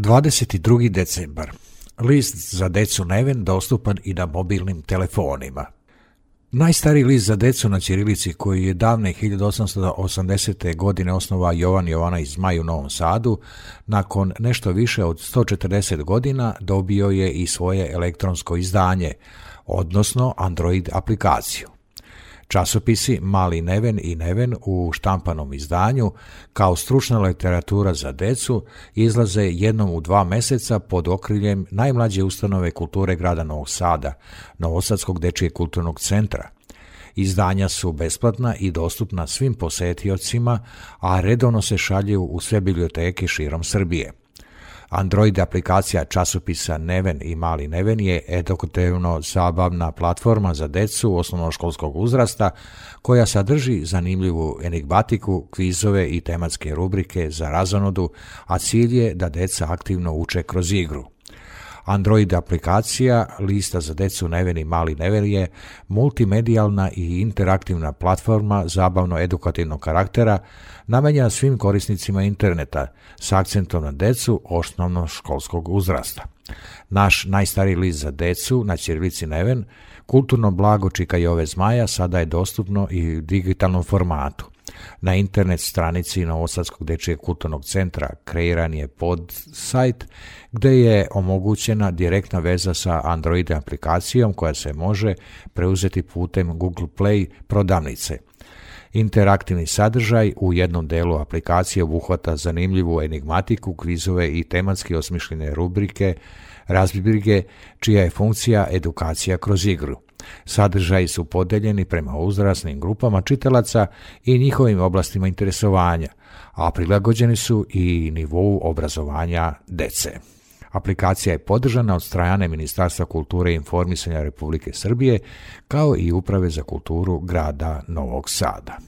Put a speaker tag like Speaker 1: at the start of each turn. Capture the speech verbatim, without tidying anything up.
Speaker 1: dvadeset drugi decembar. List za decu Neven dostupan i na mobilnim telefonima. Najstariji list za decu na ćirilici, koji je davne hiljadu osamsto osamdesete. godine osnovao Jovan Jovanović Zmaj u Novom Sadu, nakon nešto više od sto četrdeset godina dobio je i svoje elektronsko izdanje, odnosno Android aplikaciju. Časopisi Mali Neven i Neven u štampanom izdanju, kao stručna literatura za decu, izlaze jednom u dva meseca pod okriljem najmlađe ustanove kulture grada Novog Sada, Novosadskog dečijeg kulturnog centra. Izdanja su besplatna i dostupna svim posetiocima, a redovno se šalju u sve biblioteke širom Srbije. Android aplikacija časopisa Neven i Mali Neven je edukativno-zabavna platforma za decu osnovnoškolskog uzrasta koja sadrži zanimljivu enigmatiku, kvizove i tematske rubrike za razonodu, a cilj je da deca aktivno uče kroz igru. Android aplikacija lista za decu Neven i Mali Neven je multimedijalna i interaktivna platforma zabavno-edukativnog karaktera namenjena svim korisnicima interneta s akcentom na decu osnovnoškolskog uzrasta. Naš najstariji list za decu na ćirilici Neven, kulturno blago Čika Jove Zmaja, sada je dostupno i u digitalnom formatu. Na internet stranici Novosadskog dečijeg kulturnog centra kreiran je pod sajt gde je omogućena direktna veza sa Android aplikacijom koja se može preuzeti putem Google Play prodavnice. Interaktivni sadržaj u jednom delu aplikacije obuhvata zanimljivu enigmatiku, kvizove i tematski osmišljene rubrike, razbrige, čija je funkcija edukacija kroz igru. Sadržaji su podeljeni prema uzrasnim grupama čitalaca i njihovim oblastima interesovanja, a prilagođeni su i nivou obrazovanja dece. Aplikacija je podržana od strane Ministarstva kulture i informisanja Republike Srbije, kao i Uprave za kulturu grada Novog Sada.